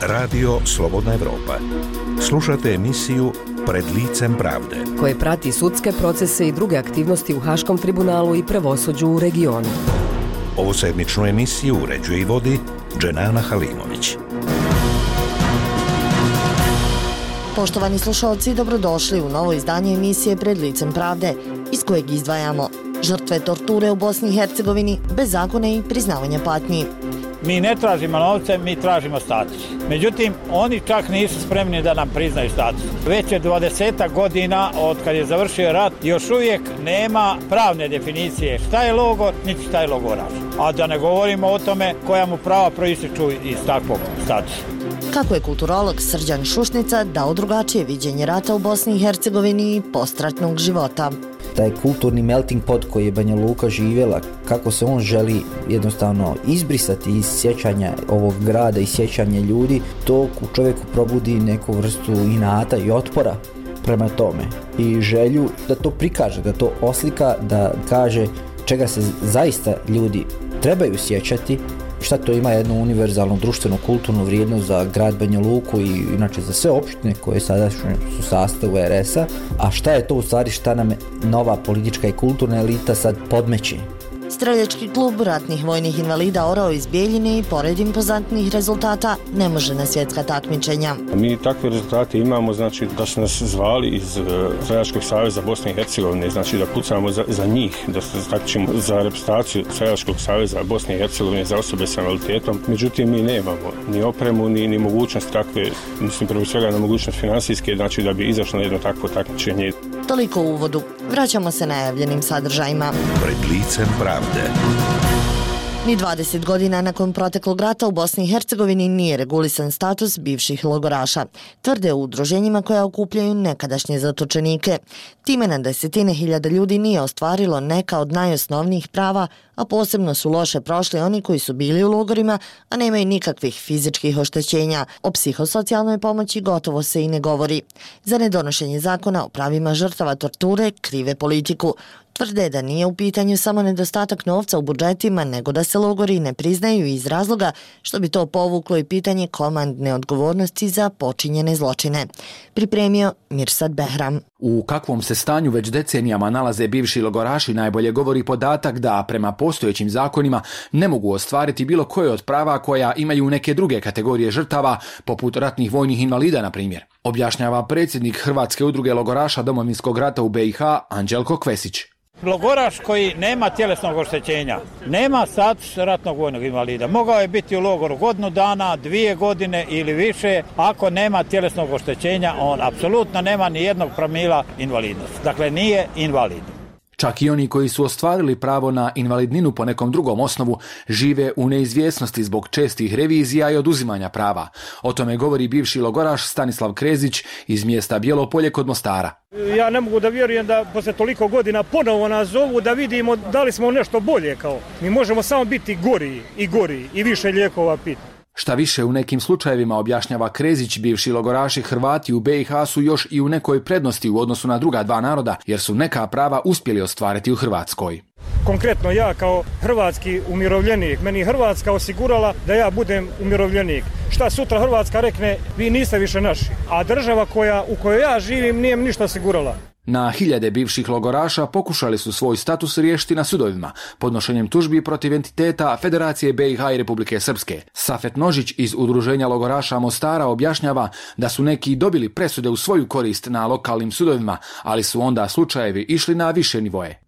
Radio Slobodna Evropa. Slušate emisiju Pred licem pravde, koje prati sudske procese i druge aktivnosti u Haškom tribunalu i pravosuđu u regionu. Ovu sedmičnu emisiju uređuje i vodi Dženana Halimović. Poštovani slušalci, dobrodošli u novo izdanje emisije Pred licem pravde, iz kojeg izdvajamo žrtve torture u Bosni i Hercegovini, bezakonje i priznavanja patnji. Mi ne tražimo novce, mi tražimo status. Međutim, oni čak nisu spremni da nam priznaju status. Već je 20 godina od kad je završio rat, još uvijek nema pravne definicije šta je logor, niti šta je logoraš. A da ne govorimo o tome koja mu prava proističu iz takvog statusa. Kako je kulturolog Srđan Šušnica dao drugačije viđenje rata u Bosni i Hercegovini i postratnog života. Taj kulturni melting pot koji je Banja Luka živjela, kako se on želi jednostavno izbrisati iz sjećanja ovog grada i sjećanja ljudi, to u čovjeku probudi neku vrstu inata i otpora prema tome. I želju da to prikaže, da to oslika, da kaže čega se zaista ljudi trebaju sjećati, šta to ima jednu univerzalnu društvenu kulturnu vrijednost za grad Banja Luku i inače za sve opštine koje sada su u sastavu RS-a, a šta je to u stvari, šta nam nova politička i kulturna elita sad podmeće. Streljački klub ratnih vojnih invalida Orao iz Bijeljine i pored impozantnih rezultata ne može na svjetska takmičenja. Mi takve rezultate imamo, znači da su nas zvali iz Streljačkog saveza Bosne i Hercegovine, znači da pucamo za njih, da se takmičimo za reprezentaciju Streljačkog saveza Bosne i Hercegovine za osobe s invaliditetom. Međutim, mi nemamo ni opremu, ni mogućnost takve, mislim prvo svega na mogućnost finansijske, znači da bi izašlo jedno takvo takmičenje. Toliko u uvodu. Vraćamo se najavljenim sadržajima. Pred licem pravde. Ni 20 godina nakon proteklog rata u Bosni i Hercegovini nije regulisan status bivših logoraša, tvrde u udruženjima koja okupljaju nekadašnje zatočenike. Time na desetine hiljada ljudi nije ostvarilo neka od najosnovnijih prava, a posebno su loše prošli oni koji su bili u logorima, a nemaju nikakvih fizičkih oštećenja. O psihosocijalnoj pomoći gotovo se i ne govori. Za nedonošenje zakona o pravima žrtava torture krive politiku. Tvrde da nije u pitanju samo nedostatak novca u budžetima, nego da se logori ne priznaju iz razloga što bi to povuklo i pitanje komandne odgovornosti za počinjene zločine. Pripremio Mirsad Behram. U kakvom se stanju već decenijama nalaze bivši logoraši najbolje govori podatak da prema postojećim zakonima ne mogu ostvariti bilo koje od prava koja imaju neke druge kategorije žrtava, poput ratnih vojnih invalida, na primjer. Objašnjava predsjednik Hrvatske udruge logoraša Domovinskog rata u BiH Anđelko Kvesić. Logoraš koji nema tjelesnog oštećenja, nema status ratnog vojnog invalida. Mogao je biti u logoru godinu dana, 2 godine ili više. Ako nema tjelesnog oštećenja, on apsolutno nema ni jednog promila invalidnosti. Dakle, nije invalid. Čak i oni koji su ostvarili pravo na invalidninu po nekom drugom osnovu žive u neizvjesnosti zbog čestih revizija i oduzimanja prava. O tome govori bivši logoraš Stanislav Krezić iz mjesta Bijelo Polje kod Mostara. Ja ne mogu da vjerujem da posle toliko godina ponovo nas zovu da vidimo da li smo nešto bolje kao. Mi možemo samo biti gori i više lijekova piti. Šta više, u nekim slučajevima, objašnjava Krezić, bivši logoraši Hrvati u BiH su još i u nekoj prednosti u odnosu na druga dva naroda, jer su neka prava uspjeli ostvariti u Hrvatskoj. Konkretno ja kao hrvatski umirovljenik, meni je Hrvatska osigurala da ja budem umirovljenik. Šta sutra Hrvatska rekne, vi niste više naši, a država u kojoj ja živim nije mi ništa osigurala. Na hiljade bivših logoraša pokušali su svoj status riješiti na sudovima, podnošenjem tužbi protiv entiteta Federacije BiH i Republike Srpske. Safet Nožić iz udruženja logoraša Mostara objašnjava da su neki dobili presude u svoju korist na lokalnim sudovima, ali su onda slučajevi išli na više nivoje.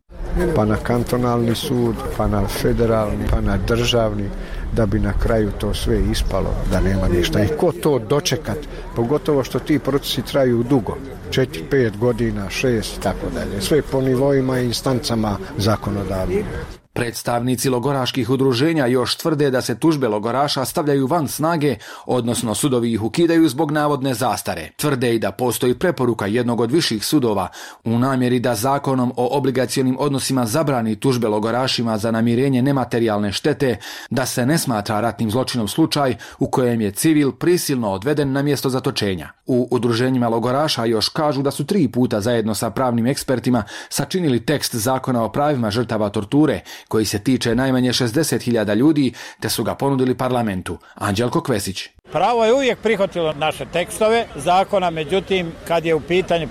Pa na kantonalni sud, pa na federalni, pa na državni, da bi na kraju to sve ispalo, da nema ništa. I ko to dočekat, pogotovo što ti procesi traju dugo, 4, 5 godina, 6 i tako dalje, sve po nivoima i instancama zakonodavnih. Predstavnici logoraških udruženja još tvrde da se tužbe logoraša stavljaju van snage, odnosno sudovi ih ukidaju zbog navodne zastare. Tvrde i da postoji preporuka jednog od viših sudova u namjeri da zakonom o obligacionim odnosima zabrani tužbe logorašima za namirenje nematerijalne štete, da se ne smatra ratnim zločinom slučaj u kojem je civil prisilno odveden na mjesto zatočenja. U udruženjima logoraša još kažu da su 3 puta zajedno sa pravnim ekspertima sačinili tekst zakona o pravima žrtava torture, koji se tiče najmanje 60.000 ljudi, te su ga ponudili parlamentu. Anđelko Kvesić. Pravo je uvijek prihvatilo naše tekstove zakona, međutim, kad je u pitanju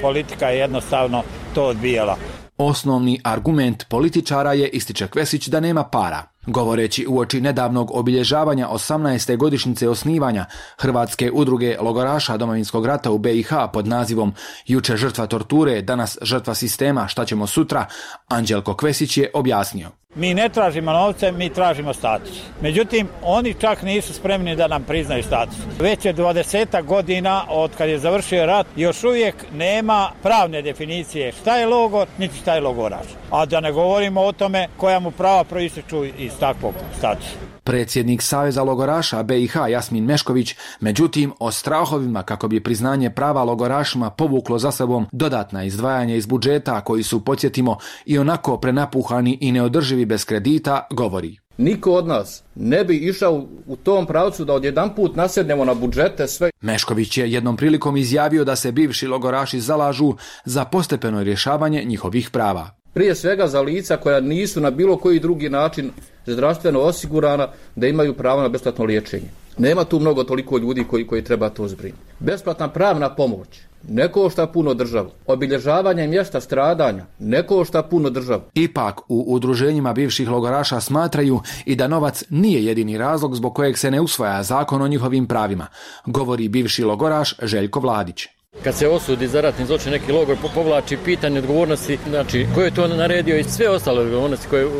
politika je jednostavno to odbijala. Osnovni argument političara je, ističe Kvesić, da nema para. Govoreći uoči nedavnog obilježavanja 18. godišnjice osnivanja Hrvatske udruge logoraša Domovinskog rata u BiH pod nazivom Juče žrtva torture, danas žrtva sistema, šta ćemo sutra, Anđelko Kvesić je objasnio. Mi ne tražimo novce, mi tražimo status. Međutim, oni čak nisu spremni da nam priznaju status. Već je 20 godina od kad je završio rat, još uvijek nema pravne definicije šta je logor, niti šta je logoraš. A da ne govorimo o tome koja mu prava proističu iz takvog statusa. Predsjednik Saveza logoraša BiH Jasmin Mešković, međutim, o strahovima kako bi priznanje prava logorašima povuklo za sobom dodatna izdvajanja iz budžeta koji su, podsjetimo, i onako prenapuhani i neodrživi bez kredita, govori. Niko od nas ne bi išao u tom pravcu da odjedanput nasjednemo na budžete sve. Mešković je jednom prilikom izjavio da se bivši logoraši zalažu za postepeno rješavanje njihovih prava. Prije svega za lica koja nisu na bilo koji drugi način zdravstveno osigurana da imaju pravo na besplatno liječenje. Nema tu mnogo toliko ljudi koji treba to zbrinuti. Besplatna pravna pomoć ne košta puno državu. Obilježavanje mjesta stradanja ne košta puno državu. Ipak u udruženjima bivših logoraša smatraju i da novac nije jedini razlog zbog kojeg se ne usvaja zakon o njihovim pravima, govori bivši logoraš Željko Vladić. Kad se osudi za ratni zločin neki logor, povlači pitanje odgovornosti, znači ko je to naredio i sve ostale odgovornosti koje je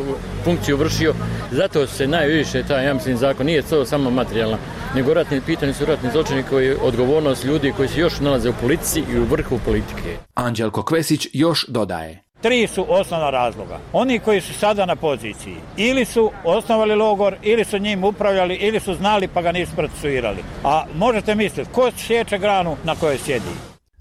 funkciju vršio. Zato se najviše ja mislim zakon nije to samo materijalna, nego pitanje su ratni zločini koji je odgovornost ljudi koji se još nalaze u politici i u vrhu politike. Anđelko Kvesić još dodaje. 3 su osnovna razloga. Oni koji su sada na poziciji ili su osnovali logor, ili su njim upravljali, ili su znali pa ga nisu procesuirali. A možete misliti, ko sječe granu na kojoj sjedi?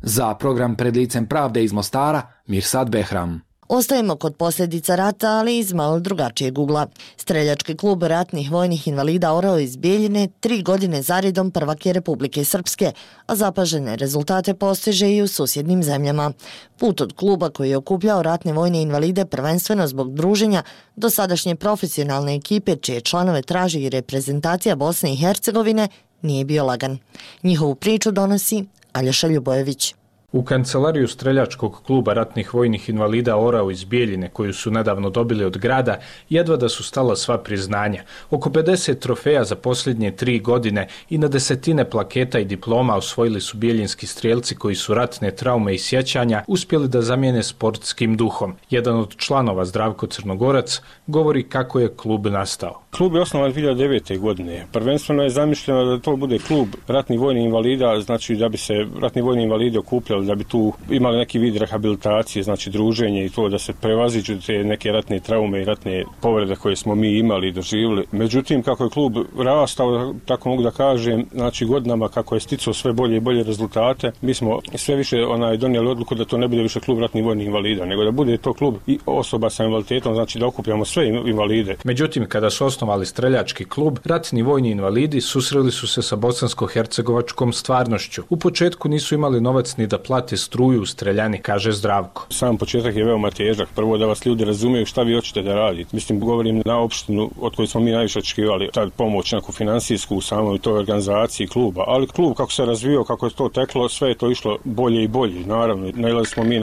Za program Pred licem pravde iz Mostara, Mirsad Behram. Ostajemo kod posljedica rata, ali iz malo drugačijeg ugla. Streljački klub ratnih vojnih invalida Orao iz Bijeljine 3 godine zaredom prvak je Republike Srpske, a zapažene rezultate postiže i u susjednim zemljama. Put od kluba koji je okupljao ratne vojne invalide prvenstveno zbog druženja do sadašnje profesionalne ekipe čije članove traži i reprezentacija Bosne i Hercegovine nije bio lagan. Njihovu priču donosi Aljoša Ljubojević. U kancelariju streljačkog kluba ratnih vojnih invalida Orao iz Bijeljine, koju su nedavno dobili od grada, jedva da su stala sva priznanja. Oko 50 trofeja za posljednje 3 godine i na desetine plaketa i diploma osvojili su bijeljinski strijelci koji su ratne traume i sjećanja uspjeli da zamijene sportskim duhom. Jedan od članova, Zdravko Crnogorac, govori kako je klub nastao. Klub je osnovan 2009. godine. Prvenstveno je zamišljeno da to bude klub ratnih vojnih invalida, znači da bi se ratni vojni invalidi okupljali, da bi tu imali neki vid rehabilitacije, znači druženje i to da se prevaziđu te neke ratne traume i ratne povrede koje smo mi imali i doživjeli. Međutim, kako je klub rastao, tako mogu da kažem, znači godinama kako je sticao sve bolje i bolje rezultate, mi smo sve više donijeli odluku da to ne bude više klub ratnih vojnih invalida, nego da bude to klub i osoba sa invaliditetom, znači da okupljamo sve invalide. Međutim, kada su osnovali streljački klub, ratni vojni invalidi susreli su se sa bosansko-hercegovačkom stvarnošću. U početku nisu imali novac ni da plate struju u streljani, kaže Zdravko. Sam početak je veoma težak. Prvo da vas ljudi razumiju šta vi hoćete da radite. Mislim, govorim na opštinu od koje smo mi najviše očekivali tad pomoć neku finansijsku u samoj toj organizaciji kluba. Ali klub kako se razvio, kako je to teklo, sve je to išlo bolje i bolje. Naravno, nailazili smo mi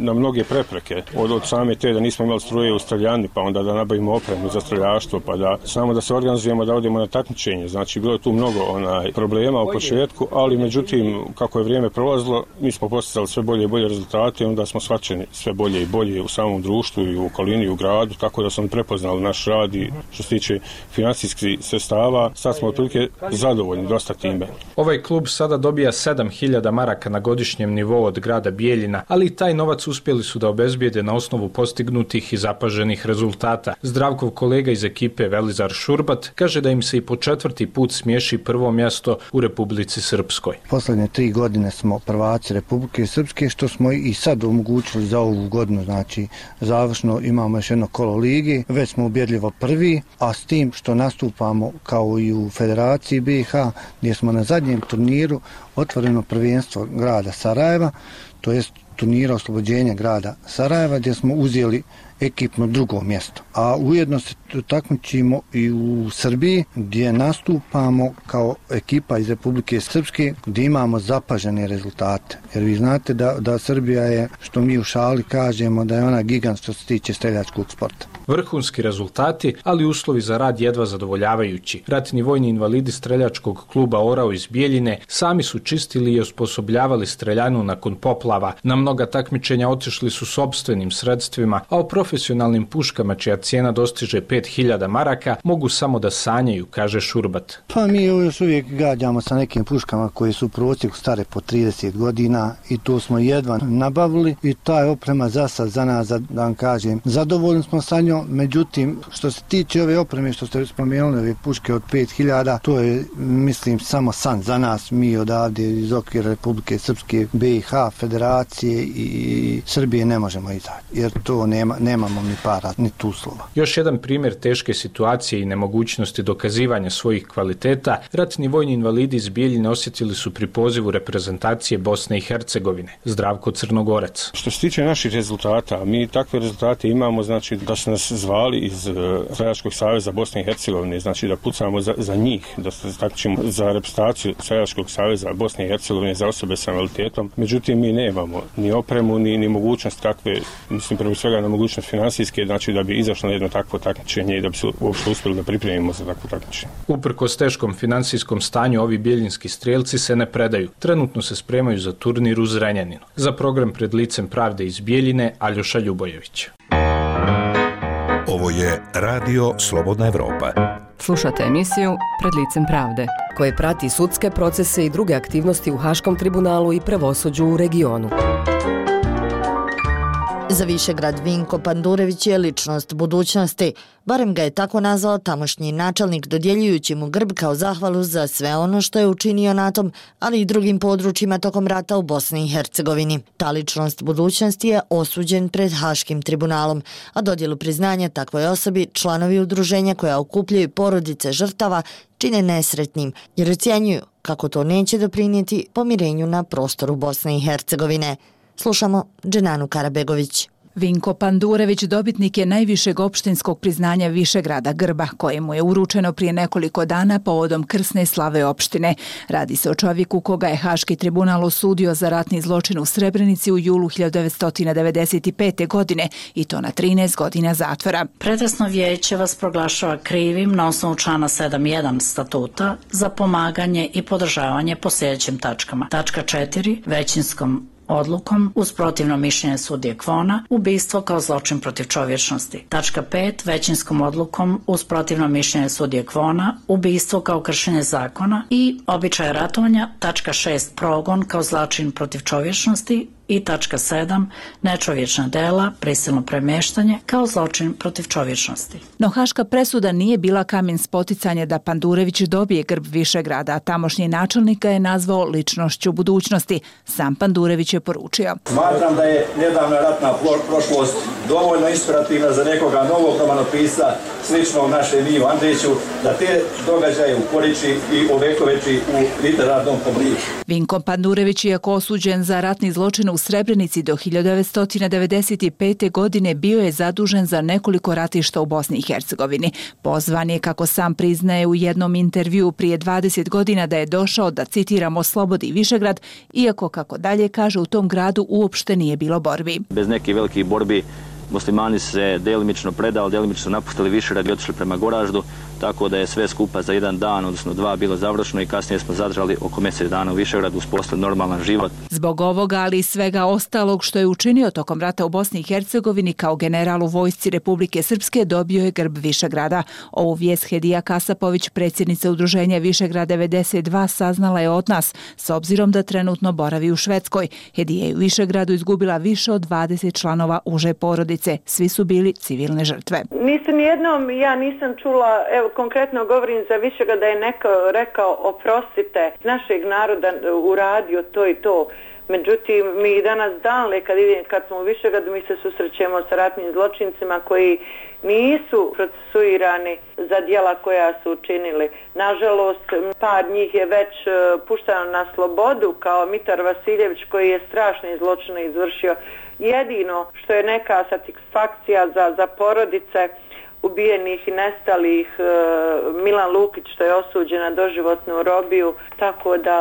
na mnoge prepreke. Od same te da nismo imali struje u streljani, pa onda da nabavimo opremu za streljaštvo, pa da samo da se organizujemo, da odemo na takmičenje. Znači, bilo je tu mnogo problema u početku, ali međutim, kako je vrijeme prolazilo, mi smo postizali sve bolje i bolje rezultate i onda smo shvaćeni sve bolje i bolje u samom društvu i u okolini i u gradu, tako da smo prepoznali naš rad i što se tiče financijskih sredstava, sad smo otprilike zadovoljni dosta time. Ovaj klub sada dobija 7.000 maraka na godišnjem nivou od grada Bijeljina, ali i taj novac uspjeli su da obezbijede na osnovu postignutih i zapaženih rezultata. Zdravkov kolega iz ekipe Velizar Šurbat kaže da im se i po 4. put smiješi prvo mjesto u Republici Srpskoj. Posljednje 3 godine smo prvaci Republike Srpske, što smo i sad omogućili za ovu godinu, znači završno imamo još jedno kolo ligi, već smo ubjedljivo prvi, a s tim što nastupamo kao i u Federaciji BiH, gdje smo na zadnjem turniru otvoreno prvenstvo grada Sarajeva, to jest turnira oslobođenja grada Sarajeva, gdje smo uzeli ekipno drugo mjesto. A ujedno se takmičimo i u Srbiji gdje nastupamo kao ekipa iz Republike Srpske gdje imamo zapažene rezultate. Jer vi znate da Srbija je, što mi u šali kažemo, da je ona gigant što se tiče streljačkog sporta. Vrhunski rezultati, ali uslovi za rad jedva zadovoljavajući. Ratni vojni invalidi streljačkog kluba Orao iz Bijeljine sami su čistili i osposobljavali streljanu nakon poplava. Na mnoga takmičenja otišli su sopstvenim sredstvima, a o profesionalnim puškama čija cijena dostiže 5000 maraka mogu samo da sanjaju, kaže Šurbat. Pa mi još uvijek gađamo sa nekim puškama koje su u prosjeku stare po 30 godina i to smo jedva nabavili i ta je oprema za sad za nas, da vam kažem, zadovoljni smo sa njom. Međutim, što se tiče ove opreme što ste spomenuli, ove puške od 5000, to je, mislim, samo san za nas, mi odavde iz okvira Republike Srpske, BiH, Federacije i Srbije ne možemo izaći, jer to nemamo ni para, ni uslova. Još jedan primjer teške situacije i nemogućnosti dokazivanja svojih kvaliteta, ratni vojni invalidi iz Bijeljine osjetili su pri pozivu reprezentacije Bosne i Hercegovine. Zdravko Crnogorac. Što se tiče naših rezultata, mi takve rezultate imamo, znači da su nas zvali iz Streljačkog saveza Bosne i Hercegovine, znači da pucamo za njih, da se takmičimo za reprezentaciju Streljačkog saveza Bosne i Hercegovine za osobe sa invaliditetom. Međutim, mi nemamo ni opremu, ni mogućnost takve, mislim prvo svega na mogućnost finansijske, znači da bi izašlo na jedno takvo takmičenje i da bi se uopšte uspjeli da pripremimo za takvo takmičenje. Uprkos teškom finansijskom stanju, ovi bijeljinski strijelci se ne predaju. Trenutno se spremaju za turnir u Zrenjaninu. Za program Pred licem pravde iz Bijeljine, Aljoša Ljubojević. Ovo je Radio Slobodna Evropa. Slušate emisiju Pred licem pravde, koje prati sudske procese i druge aktivnosti u Haškom tribunalu i pravosuđu u regionu. Za Višegrad Vinko Pandurević je ličnost budućnosti. Barem ga je tako nazvao tamošnji načelnik, dodjeljujući mu grb kao zahvalu za sve ono što je učinio na tom, ali i drugim područjima tokom rata u Bosni i Hercegovini. Ta ličnost budućnosti je osuđen pred Haškim tribunalom, a dodjelu priznanja takvoj osobi članovi udruženja koja okupljaju porodice žrtava čine nesretnim, jer ocjenjuju kako to neće doprinijeti pomirenju na prostoru Bosne i Hercegovine. Slušamo Dženanu Karabegović. Vinko Pandurević dobitnik je najvišeg opštinskog priznanja Višegrada grba, kojemu je uručeno prije nekoliko dana povodom krsne slave opštine. Radi se o čovjeku koga je Haški tribunal osudio za ratni zločin u Srebrenici u julu 1995. godine i to na 13 godina zatvora. Pretresno vijeće vas proglašava krivim na osnovu člana 7.1 statuta za pomaganje i podržavanje po sljedećim tačkama. Tačka 4. Većinskom odlukom uz protivno mišljenje sudije Kvona, ubistvo kao zločin protiv čovječnosti. Tačka 5. Većinskom odlukom uz protivno mišljenje sudije Kvona, ubistvo kao kršenje zakona i običaje ratovanja. Tačka 6. Progon kao zločin protiv čovječnosti i tačka 7. Nečovječna dela, prisilno premještanje kao zločin protiv čovječnosti. No haška presuda nije bila kamen spoticanja da Pandurević dobije grb Višegrada, a tamošnji načelnik ga je nazvao ličnošću budućnosti. Sam Pandurević je poručio. Smatram da je nedavna ratna prošlost dovoljno inspirativna za nekoga novog romanopisca sličnog našem Miju Andriću, da te događaje ukoriči i ovekoveči u literarnom obliku. Vinko Pandurević, iako osuđen za ratni zločin u Srebrenici do 1995. godine, bio je zadužen za nekoliko ratišta u Bosni i Hercegovini. Pozvan je, kako sam priznaje u jednom intervjuu prije 20 godina, da je došao da, citiramo, oslobodi Višegrad, iako, kako dalje kaže, u tom gradu uopšte nije bilo borbi. Bez nekih velikih borbi muslimani se delimično predali, delimično su napustili Višegrad i otišli prema Goraždu, tako da je sve skupa za jedan dan, odnosno dva, bilo završeno i kasnije smo zadržali oko mjesec dana u Višegradu, uspostavili normalan život. Zbog ovoga, ali i svega ostalog što je učinio tokom rata u Bosni i Hercegovini, kao general u vojsci Republike Srpske, dobio je grb Višegrada. Ovu vijest Hedija Kasapović, predsjednica udruženja Višegrad 92, saznala je od nas, s obzirom da trenutno boravi u Švedskoj. Hedija je u Višegradu izgubila više od 20 članova uže porodice. Svi su bili civilne žrtve. Ja nisam čula, evo konkretno govorim za Višegrad, da je neko rekao oprostite, našeg naroda uradio to i to. Međutim, mi danas kad smo u Višegradu, mi se susrećemo sa ratnim zločincima koji nisu procesuirani za djela koja su učinili. Nažalost, par njih je već puštano na slobodu, kao Mitar Vasiljević, koji je strašne zločine izvršio. jedino što je neka satisfakcija za porodice ubijenih i nestalih, Milan Lukić što je osuđen na doživotnu robiju, tako da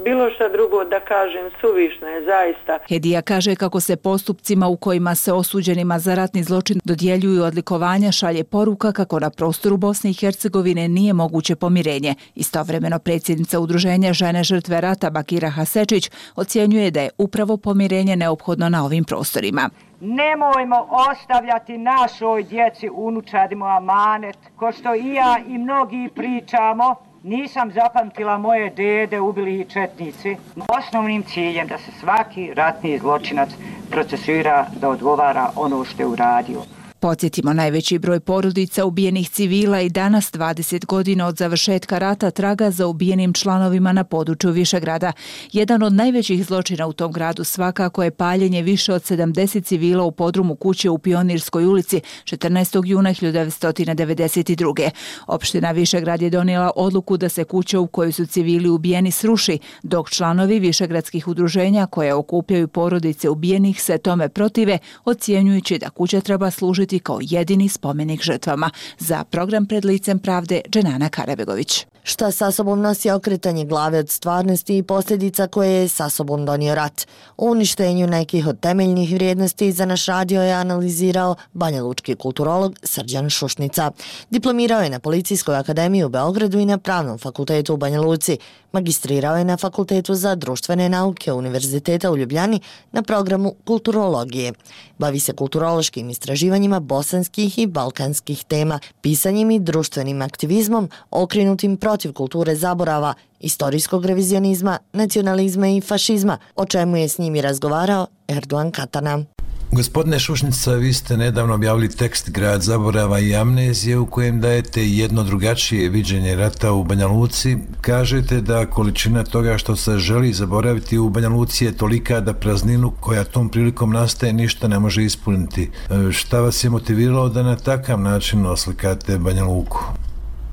bilo što drugo da kažem suvišno je zaista. Hedija kaže kako se postupcima u kojima se osuđenima za ratni zločin dodjeljuju odlikovanja šalje poruka kako na prostoru Bosne i Hercegovine nije moguće pomirenje. Istovremeno predsjednica Udruženja žene žrtve rata Bakira Hasečić ocjenjuje da je upravo pomirenje neophodno na ovim prostorima. Nemojmo ostavljati našoj djeci, unučadima amanet, ko što i ja i mnogi pričamo. Nisam zapamtila moje dede ubili i četnici. Osnovnim ciljem da se svaki ratni zločinac procesuira, da odgovara ono što je uradio. Podsjetimo, najveći broj porodica ubijenih civila i danas 20 godina od završetka rata traga za ubijenim članovima na području Višegrada. Jedan od najvećih zločina u tom gradu svakako je paljenje više od 70 civila u podrumu kuće u Pionirskoj ulici 14. juna 1992. Opština Višegrad je donijela odluku da se kuća u kojoj su civili ubijeni sruši, dok članovi višegradskih udruženja koje okupljaju porodice ubijenih se tome protive, ocjenjujući da kuća treba služiti kao jedini spomenik žrtvama. Za program Pred licem pravde, Dženana Karabegović. Šta sa sobom nosi okretanje glave od stvarnosti i posljedica koje je sa sobom donio rat? O uništenju nekih od temeljnih vrijednosti za naš radio je analizirao banjalučki kulturolog Srđan Šušnica. Diplomirao je na Policijskoj akademiji u Beogradu i na Pravnom fakultetu u Banja Luci. Magistrirao je na Fakultetu za društvene nauke Univerziteta u Ljubljani na programu kulturologije. Bavi se kulturološkim istraživanjima bosanskih i balkanskih tema, pisanjem i društvenim aktivizmom okrenutim protiv kulture zaborava, istorijskog revizionizma, nacionalizma i fašizma, o čemu je s njim i razgovarao Erdogan Katana. Gospodine Šušnica, vi ste nedavno objavili tekst Grad zaborava i amnezije u kojem dajete jedno drugačije viđenje rata u Banja Luci. Kažete da količina toga što se želi zaboraviti u Banja Luci je tolika da prazninu koja tom prilikom nastaje ništa ne može ispuniti. Šta vas je motiviralo da na takav način oslikate Banja Luku?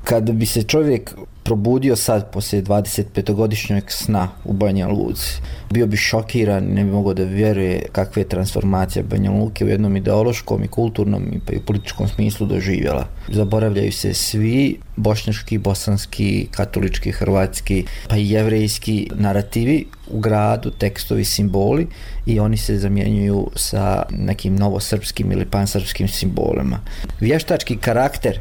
Kada bi se čovjek probudio sad poslije 25-godišnjeg sna u Banja Luci, bio bi šokiran i ne bi mogao da vjeruje kakve je transformacija Banja Luke u jednom ideološkom i kulturnom i pa i političkom smislu doživjela. Zaboravljaju se svi bošnjački, bosanski, katolički, hrvatski pa i jevrejski narativi u gradu, tekstovi, simboli i oni se zamjenjuju sa nekim novosrpskim ili pansrpskim simbolima. Vještački karakter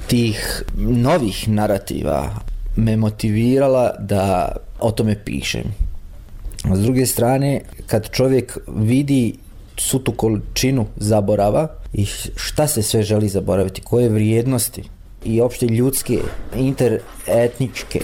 tih novih narativa me motivirala da o tome pišem. S druge strane, kad čovjek vidi svu tu količinu zaborava i šta se sve želi zaboraviti, koje vrijednosti i opšte ljudske, interetničke,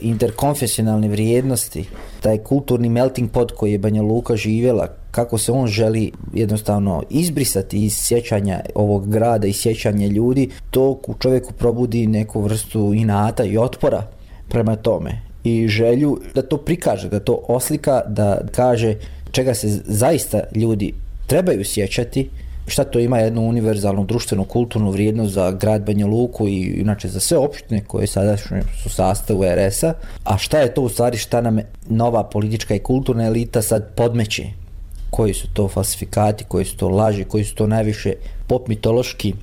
interkonfesionalne vrijednosti, taj kulturni melting pot koji je Banja Luka živjela, kako se on želi jednostavno izbrisati iz sjećanja ovog grada i sjećanja ljudi, to u čovjeku probudi neku vrstu inata i otpora prema tome i želju da to prikaže, da to oslika, da kaže čega se zaista ljudi trebaju sjećati, šta to ima jednu univerzalnu društvenu kulturnu vrijednost za grad Banja Luku i inače za sve opštine koje sada su sastavu RS-a, a šta je to u stvari, šta nam nova politička i kulturna elita sad podmeće, koji su to falsifikati, koji su to laži, koji su to najviše pop mitološki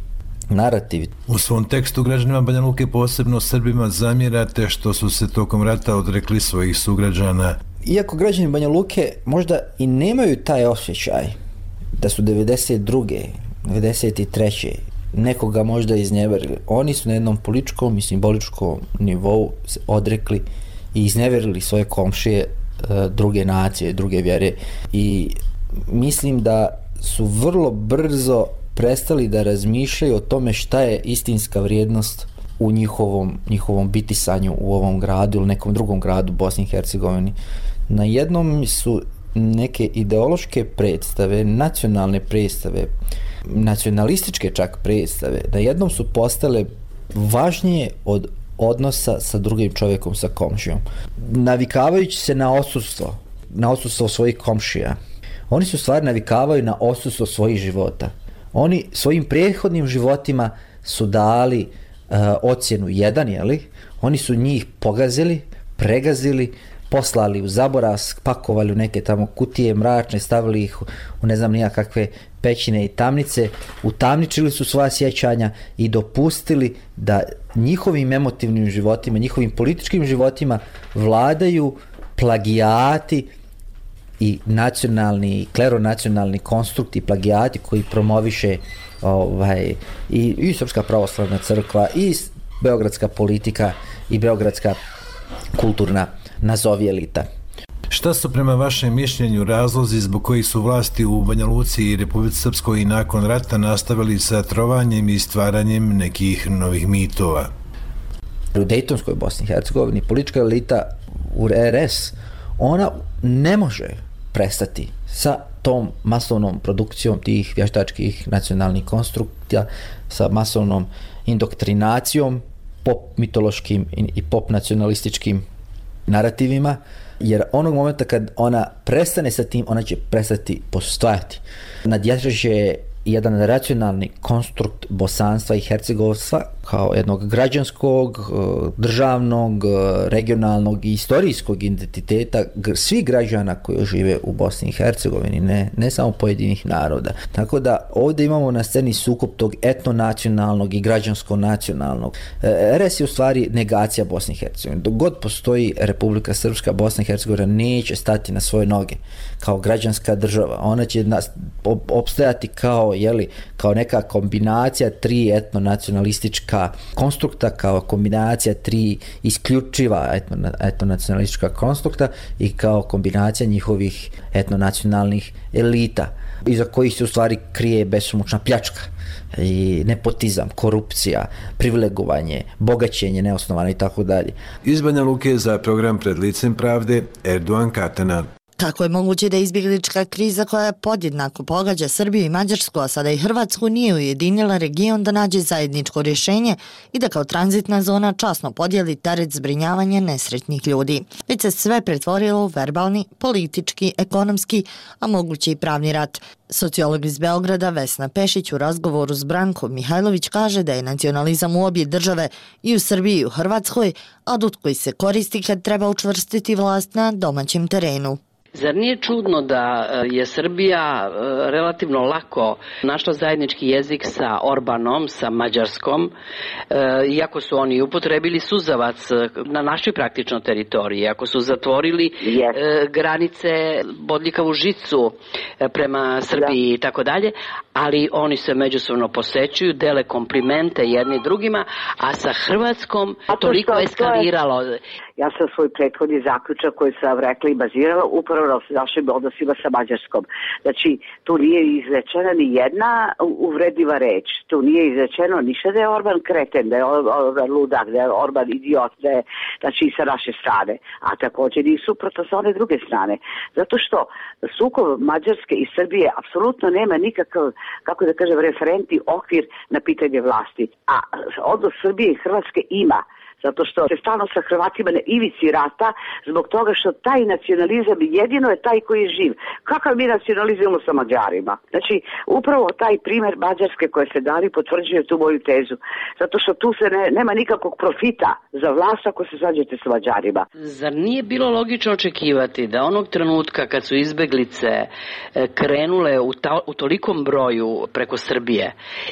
narativi. U svom tekstu građanima Banja Luke, posebno Srbima, zamjerate što su se tokom rata odrekli svojih sugrađana. Iako građani Banja Luke možda i nemaju taj osjećaj da su 92. 93. nekoga možda iznjeverili, oni su na jednom političkom i simboličkom nivou se odrekli i iznjeverili svoje komšije, druge nacije, druge vjere i mislim da su vrlo brzo prestali da razmišljaju o tome šta je istinska vrijednost u njihovom bitisanju u ovom gradu ili nekom drugom gradu Bosni i Hercegovini. Na jednom su neke ideološke predstave, nacionalne predstave, nacionalističke čak predstave, na jednom su postale važnije od odnosa sa drugim čovjekom, sa komšijom. Navikavajući se na odsustvo svojih komšija, oni su stvari navikavaju na odsustvo svojih života. Oni svojim prethodnim životima su dali ocjenu 1, jeli? Oni su njih pogazili, pregazili, poslali u zaborav, pakovali u neke tamo kutije mračne, stavili ih u ne znam nijakakve pećine i tamnice, utamničili su svoja sjećanja i dopustili da njihovim emotivnim životima, njihovim političkim životima vladaju plagijati i nacionalni, kleronacionalni konstrukti, plagijati koji promoviše i Srpska pravoslavna crkva i beogradska politika i beogradska kulturna nazovi elita. Šta su prema vašem mišljenju razlozi zbog kojih su vlasti u Banja Luci i Republici Srpskoj i nakon rata nastavili sa trovanjem i stvaranjem nekih novih mitova? U Dejtonskoj Bosni i Hercegovini politička elita u RS, ona ne može prestati sa tom masovnom produkcijom tih vještačkih nacionalnih konstrukcija, sa masovnom indoktrinacijom, pop mitološkim i pop nacionalističkim narativima, jer onog momenta kad ona prestane sa tim, ona će prestati postojati. Nadjače jedan racionalni konstrukt bosanstva i hercegovstva kao jednog građanskog, državnog, regionalnog i istorijskog identiteta svih građana koji žive u Bosni i Hercegovini, ne samo pojedinih naroda. Tako da ovdje imamo na sceni sukob tog etnonacionalnog i građansko-nacionalnog. RS je u stvari negacija Bosne i Hercegovine. Dok god postoji Republika Srpska, Bosna i Hercegovina neće stati na svoje noge kao građanska država. Ona će opstajati kao neka kombinacija tri etnonacionalistička konstrukta, kao kombinacija tri isključiva etnonacionalistička konstrukta i kao kombinacija njihovih etnonacionalnih elita, iza kojih se u stvari krije besomučna pljačka i nepotizam, korupcija, privilegovanje, bogaćenje neosnovano i tako dalje. Iz Banja Luke za program Pred licem pravde, Erdogan Katana. Kako je moguće da izbjeglička kriza koja podjednako pogađa Srbiju i Mađarsku, a sada i Hrvatsku, nije ujedinila region da nađe zajedničko rješenje i da kao tranzitna zona časno podijeli teret zbrinjavanja nesretnih ljudi? Već se sve pretvorilo u verbalni, politički, ekonomski, a moguće i pravni rat. Sociolog iz Beograda Vesna Pešić u razgovoru s Brankom Mihajlović kaže da je nacionalizam u obje države, i u Srbiji i u Hrvatskoj, adut koji se koristi kad treba učvrstiti vlast na domaćem terenu. Zar nije čudno da je Srbija relativno lako našla zajednički jezik sa Orbanom, sa Mađarskom, iako su oni upotrebili suzavac na našoj praktično teritoriji, ako su zatvorili granice, bodljikavu žicu prema Srbiji i tako dalje, ali oni se međusobno posećuju, dele komplimente jedni drugima, a sa Hrvatskom toliko eskaliralo. Ja sam svoj prethodni zaključak koji sam rekla i bazirala upravo na našim odnosima sa Mađarskom. Znači, tu nije izrečena ni jedna uvredljiva reč. Tu nije izrečeno ništa da je Orban kreten, da je Orban ludak, da je Orban idiot, da je, znači i sa naše strane. A također i suprotno sa one druge strane. Zato što sukob Mađarske i Srbije apsolutno nema nikakav, kako da kažem, referentni okvir na pitanje vlasti. A odnos Srbije i Hrvatske ima. Zato što se stalno sa Hrvatima na ivici rata, zbog toga što taj nacionalizam jedino je taj koji je živ. Kakav mi nacionalizujemo sa Mađarima? Znači, upravo taj primjer Mađarske koje se dali potvrđuje tu moju tezu. Zato što tu se nema nikakvog profita za vlast ako se svađate sa Mađarima. Zar nije bilo logično očekivati da onog trenutka kad su izbeglice krenule u tolikom broju preko Srbije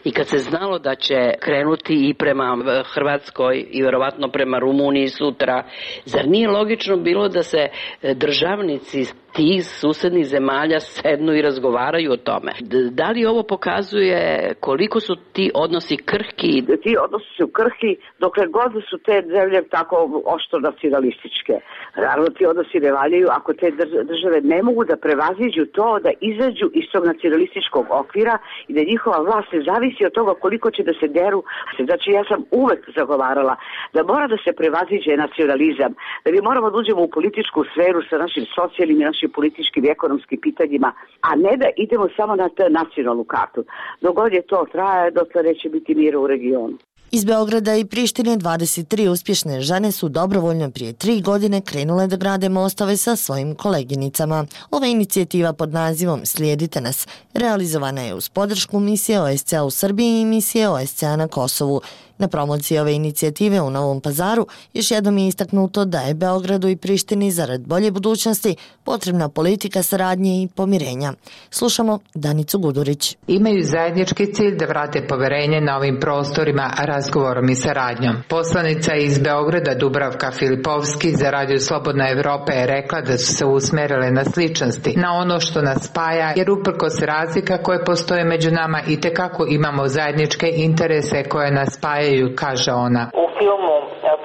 i kad se znalo da će krenuti i prema Hrvatskoj i verovatno prema Rumuniji sutra, zar nije logično bilo da se državnici tih susednih zemalja sednu i razgovaraju o tome? Da li ovo pokazuje koliko su ti odnosi krhki? Ti odnosi su krhki dokle god su te zemlje tako oštro nacionalističke. Naravno, ti odnosi ne valjaju ako te države ne mogu da prevaziđu to, da izađu iz tog nacionalističkog okvira i da njihova vlast ne zavisi od toga koliko će da se deru. Znači, ja sam uvek zagovarala da mora da se prevaziđe nacionalizam, da mi moramo da uđemo u političku sferu sa našim socijalnim i našim političkim i ekonomskim pitanjima, a ne da idemo samo na nacionalnu kartu. Dok god je to traje, dotle neće biti mira u regionu. Iz Beograda i Prištine 23 uspješne žene su dobrovoljno prije 3 godine krenule da grade mostove sa svojim koleginicama. Ova inicijativa pod nazivom Slijedite nas realizovana je uz podršku misije OSCE u Srbiji i misije OSCE na Kosovu. Na promociji ove inicijative u Novom Pazaru još jednom je istaknuto da je Beogradu i Prištini zarad bolje budućnosti potrebna politika saradnje i pomirenja. Slušamo Danicu Gudurić. Imaju zajednički cilj da vrate poverenje na ovim prostorima razgovorom i saradnjom. Poslanica iz Beograda Dubravka Filipovski za Radio Slobodna Evropa je rekla da su se usmerile na sličnosti, na ono što nas spaja, jer uprkos razlika koje postoje među nama itekako imamo zajedničke interese koje nas spajaju, kaže ona. U filmu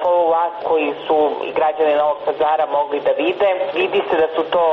Follow Us koji su građani Novog Pazara mogli da vide, vidi se da su to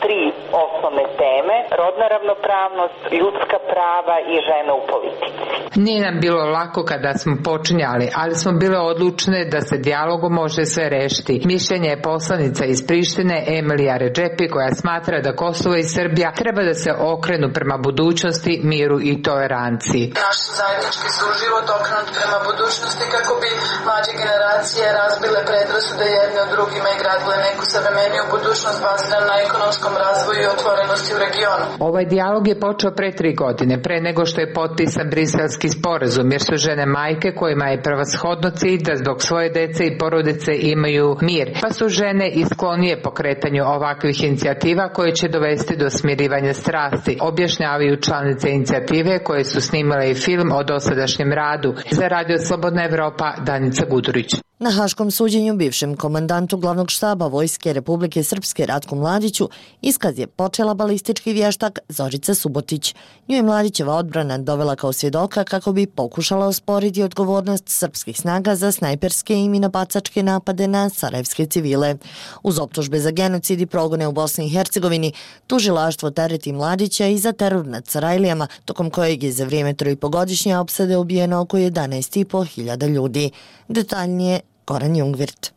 tri osnovne teme: rodna ravnopravnost, ljudska prava i žene u politici. Nije nam bilo lako kada smo počinjali, ali smo bile odlučne da se dijalogom može sve rešiti. Mišljenje je poslanica iz Prištine Emilija Redžepi koja smatra da Kosovo i Srbija treba da se okrenu prema budućnosti, miru i toleranciji. Naš zajednički suživot okrenut prema budućnosti kako bi mlađe generacije razbile predrasude jedne od drugima i gradile neku savremeniju budućnost baziranu na ekonomskom razvoju i otvorenosti u regionu. Ovaj dijalog je počeo pre 3 godine, pre nego što je potpisan Briselski sporazum, jer su žene majke kojima je prevashodno cilj da zbog svoje dece i porodice imaju mir, pa su žene i sklonije pokretanju ovakvih inicijativa koje će dovesti do smirivanja strasti, objašnjavaju članice inicijative koje su snimale i film o dosadašnjem radu. Za Radio Slobodna Evropa, Danica Gudurić. Na haškom suđenju bivšem komandantu glavnog štaba Vojske Republike Srpske Ratku Mladiću iskaz je počela balistički vještak Zorica Subotić. Nju je Mladićeva odbrana dovela kao svjedoka kako bi pokušala osporiti odgovornost srpskih snaga za snajperske i minobacačke napade na sarajevske civile. Uz optužbe za genocid i progone u Bosni i Hercegovini, tužilaštvo tereti Mladića i za teror nad Sarajlijama, tokom kojeg je za vrijeme 3,5-godišnje opsade ubijeno oko 11.500 ljudi. Detaljnije Goran Jungvirt.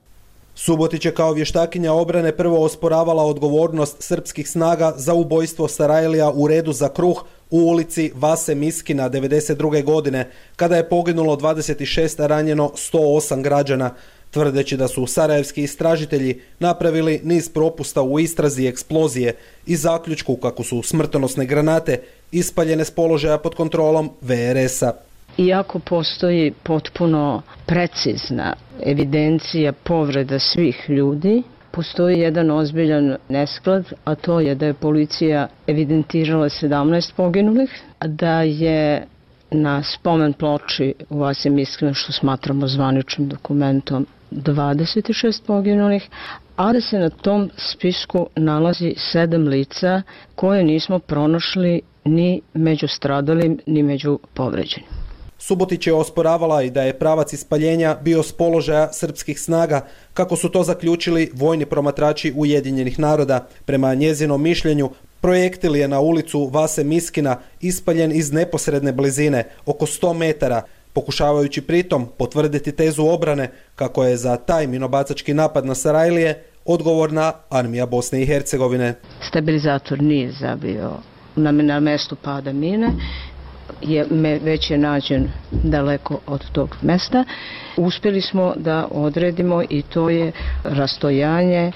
Subotić je kao vještakinja obrane prvo osporavala odgovornost srpskih snaga za ubojstvo Sarajlija u redu za kruh u ulici Vase Miskina 1992. godine, kada je poginulo 26, a ranjeno 108 građana, tvrdeći da su sarajevski istražitelji napravili niz propusta u istrazi eksplozije i zaključku kako su smrtonosne granate ispaljene s položaja pod kontrolom VRS-a. Iako postoji potpuno precizna evidencija povreda svih ljudi, postoji jedan ozbiljan nesklad, a to je da je policija evidentirala 17 poginulih, da je na spomen ploči u Vasi Miskina, što smatramo zvaničnim dokumentom, 26 poginulih, a da se na tom spisku nalazi 7 lica koje nismo pronašli ni među stradalim, ni među povređenim. Subotić je osporavala i da je pravac ispaljenja bio s položaja srpskih snaga, kako su to zaključili vojni promatrači Ujedinjenih naroda. Prema njezinom mišljenju, projektil je na ulicu Vase Miskina ispaljen iz neposredne blizine, oko 100 metara, pokušavajući pritom potvrditi tezu obrane kako je za taj minobacački napad na Sarajlije odgovorna armija Bosne i Hercegovine. Stabilizator nije zabio na mestu pada mine, već je nađen daleko od tog mesta. Uspjeli smo da odredimo i to je rastojanje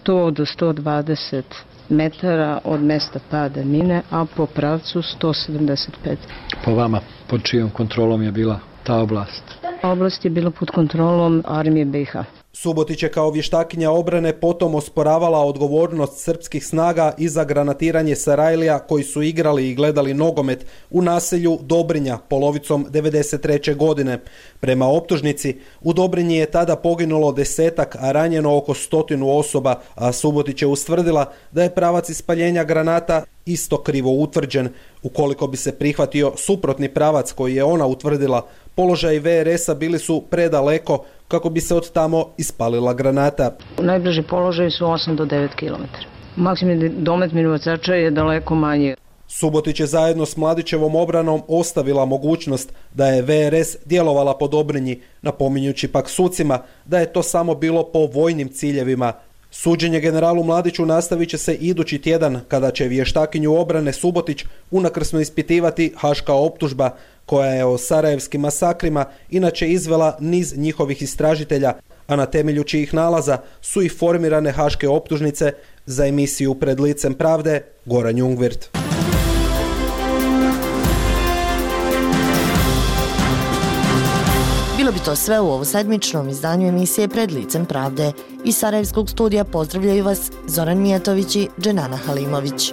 100 do 120 metara od mesta pada mine, a po pravcu 175. Po vama, pod čijom kontrolom je bila ta oblast? Oblast je bila pod kontrolom armije BiH. Subotić je kao vještakinja obrane potom osporavala odgovornost srpskih snaga i za granatiranje Sarajlija koji su igrali i gledali nogomet u naselju Dobrinja polovicom 1993. godine. Prema optužnici, u Dobrinji je tada poginulo 10-ak, a ranjeno oko 100 osoba, a Subotić je ustvrdila da je pravac ispaljenja granata isto krivo utvrđen. Ukoliko bi se prihvatio suprotni pravac koji je ona utvrdila, položaji VRS-a bili su predaleko kako bi se od tamo ispalila granata. Najbliži položaj su 8 do 9 km. Maksimalni domet minobacača je daleko manji. Subotić je zajedno s Mladićevom obranom ostavila mogućnost da je VRS djelovala po Dobrinji, napominjući pak sucima da je to samo bilo po vojnim ciljevima. Suđenje generalu Mladiću nastavit će se idući tjedan, kada će vještakinju obrane Subotić unakrsno ispitivati haška optužba, koja je o sarajevskim masakrima inače izvela niz njihovih istražitelja, a na temelju čijih nalaza su i formirane haške optužnice. Za emisiju Pred licem pravde, Goran Jungvirt. Bilo Bilo bi to sve u ovo sedmičnom izdanju emisije Pred licem pravde. Iz Sarajevskog studija pozdravljaju vas Zoran Mijatović i Dženana Halimović.